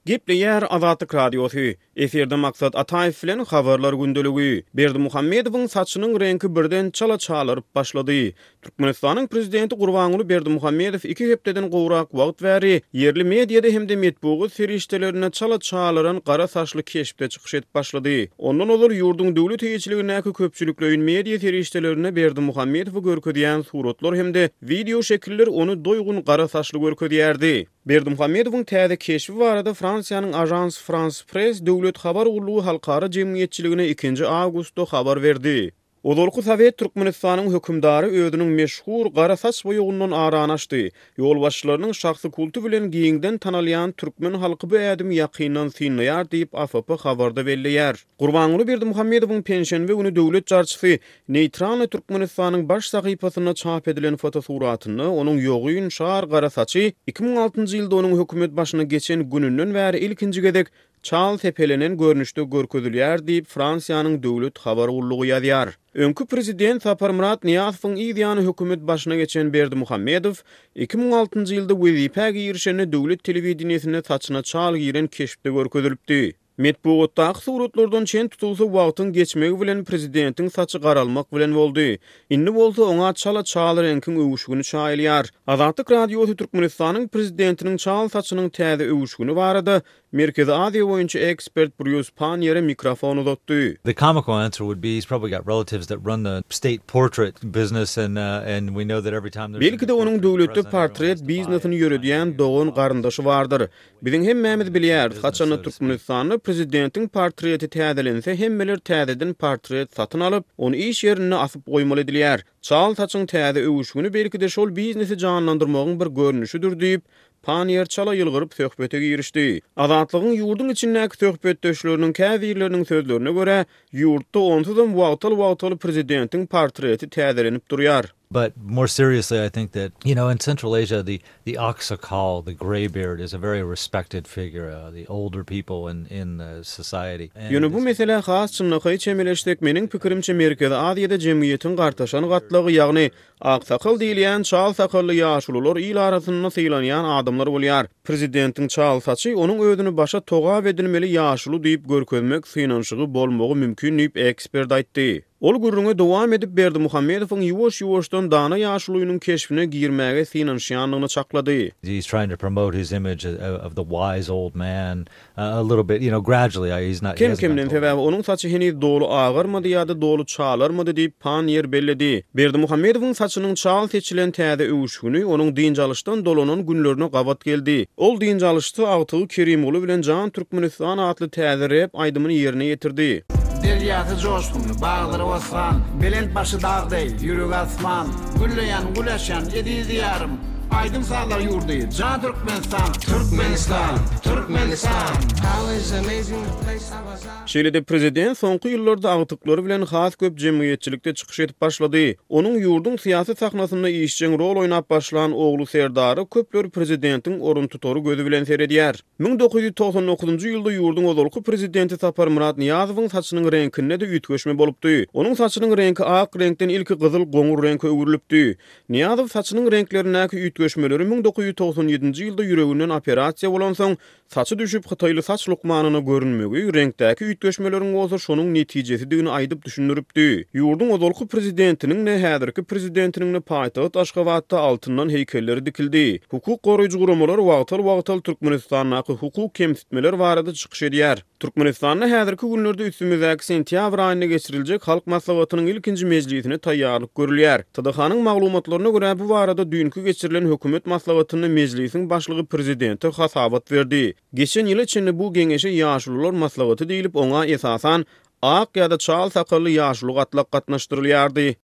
Gepleýär Azatlyk Radiosy, Efirde Maksat Ataýew bilen Habarlar gündeligi. Berdimuhamedowyň saçynyň reňki birden çala çalaryp başlady. Türkmenistanyň prezidenti Gurbanguly Berdimuhamedow iki hepdeden gowrak wagt bäri ýerli mediada hem-de metbugat serişdelerinde çala çalaran gara saçly keşpde çykyş edip başlady. Ondan ozal ýurduň döwlet eýeçiligindäki köpçülikleýin media serişdelerinde Berdimuhamedowy görkezýän suratlar hem-de wideo şekiller ony doýgun gara saçly görkezýärdi. Berdimuhamedowyň täze keşbi barada Fransiýanyň Agence France-Presse döwlet habar gullugy halkara jemgyýetçiligine ikinji awgustda habar berdi. Ozalky sowet Türkmenistanyň hökümdary özüniň meşhur gara saç boýagyndan arany açdy. Ýolbaşçylarynyň şahsy kulty bilen giňden tanalýan türkmen halky bu ädimi ýakyndan synlaýar diýip, AFP habarda belleýär. Gurbanguly Berdimuhamedowyň penşenbe güni döwlet jarçysy Neýtralnyý Türkmenistanyň baş sahypasynda çap edilen fotosuratynda onuň ýogyn, şar gara saçy 2006-njy ýylda onuň hökümet başyna geçen gününden bäri ilkinji gezek çal sepelenen görnüşde görkezilýär diýip, Fransiýanyň döwlet habar gullugy ýazýar. Öňki prezident Saparmyrat Nyýazowyň yz ýany hökümet başyna geçen Berdimuhamedow 2006-njy ýylda wezipä girişende döwlet telewideniýesinde saçyna çal giren keşpde görkezilipdi. Metbugatdaky suratlardan çen tutulsa, wagtyň geçmegi bilen prezidentiň saçy garalmak bilen boldy. Indi bolsa oňa çala çal reňkiň öwüşgini çaýylýar. Azatlyk Radiosy Türkmenistanyň prezidentiniň çal saçynyň täze öwüşgini barada Merkezi Aziýa boýunça ekspert Brýus Panniýere mikrofon uzatdy. The comical answer would be he's probably got relatives that run the state portrait business and and we know that every time there's a new Belki-de onuň döwletde portret biznesini ýöredýän dogan-garyndaşy bardyr. Biziň hemmämiz bilýäris, haçanda Türkmenistanda prezidentiň portreti täzelense, hemmeler täzeden portret satyn alyp, ony iş ýerinde asyp goýmaly edilýär. Çal saçyň täze öwüşgini belki-de şol biznesi janlandyrmagyň bir görnüşidir diýip, Panniýer çala ýylgyryp söhbete girişdi. Azatlygyň ýurduň içindäki söhbetdeşleriniň käbirleriniň sözlerine görä, ýurtda onsuzam wagtal-wagtal prezidentiň portreti täzelenip durýar. But more seriously I think that you know in Central Asia the the aksakal the greybeard is a very respected figure the older people in in the society and Ýöne bu meselä has çynlakaý çemeleşsek meniň pikirimçe Merkezi Aziýada jemgyýetiň gartaşan gatlagy ýagny aksakal diýilýän çal sakally ýaşulular il arasynda sylanýan adamlar bolýar. Prezidentiň çal saçy onuň özüni başa togap edilmeli ýaşuly diýip görkezmek synanyşygy bolmagy mümkin diýip ekspert aýtdy. Ol gürrüňe dowam edip, Berdimuhamedowyň ýuwaş-ýuwaşdan dana ýaşulynyň keşbine girmäge synanyşýandygyny çaklady. He is trying to promote his image of the wise old man a little bit, you know, gradually, he is not, he hasn't Kem-kemden, sebäbi onuň saçy heniz doly agarmady ýa-da doly çalarmady diýip, Panniýer belledi. Berdimuhamedowyň saçynyň çal seçilen täze öwüşgini onuň dynç alyşdan dolanan günlerine gabat geldi. Ol dynç alyşda agtygy Kerimguly bilen Jan Türkmenistan atly täze rep aýdymyny ýerine ýetirdi. Derýasy joşgunly, baglary bossan, Belent başy dag deý, ýüregi asman, Gülleýän, gül açýan eziz Diýarym, Aýdym-sazlar ýurdy, jan Türkmenistan! Türkmenistan! Türkmenistan! Şeýle-de prezident soňky ýyllarda agtyklary bilen has köp jemgyýetçilikde çykyş edip başlady. Onuň ýurduň syýasy sahnasynda işjeň rol oýnap başlan ogly Serdara köpler prezidentiň oruntutary gözi bilen seredýär. 1999-njy ýylda ýurduň ozalky prezidenti Saparmyrat Nyýazowyň saçynyň reňkinde-de üýtgeşme bolupdy. Onuň saçynyň reňki ak reňkden ilki gyzyl-goňur reňke öwrülipdi. Nyýazow saçynyň reňklerindäki üýtgeşmeleri 1997-nji ýylda ýüreginden operasiýa bolansoň, Saçy düşüp, hytaýly saç lukmanyna görünmegi, reňkdäki üýtgeşmeleriň bolsa şonuň netijesidigini aýdyp düşündiripdi. Ýurduň ozalky prezidentiniň-de, häzirki prezidentiniň-de paýtagt Aşgabatda altyndan heýkelleri dikildi. Hukuk goraýjy guramalar wagtal-wagtal Türkmenistandaky hukuk kemsitmeler barada çykyş edýär. Türkmenistanda häzirki günlerde üstümizdäki sentýabr aýynda geçiriljek Halk Maslahatynyň ilkinji mejlisine taýýarlyk görülýär. TDH-nyň maglumatlaryna görä, bu barada düýnki geçirilen hökümet maslahatynda mejlisiň başlygy prezidente hasabat berdi. Geçen ýyla çenli bu geňeşe Ýaşulular maslahaty diýlip, oňa esasan ak ýa-da çal sakally ýaşuly gatlak gatnaşdyrylýardy.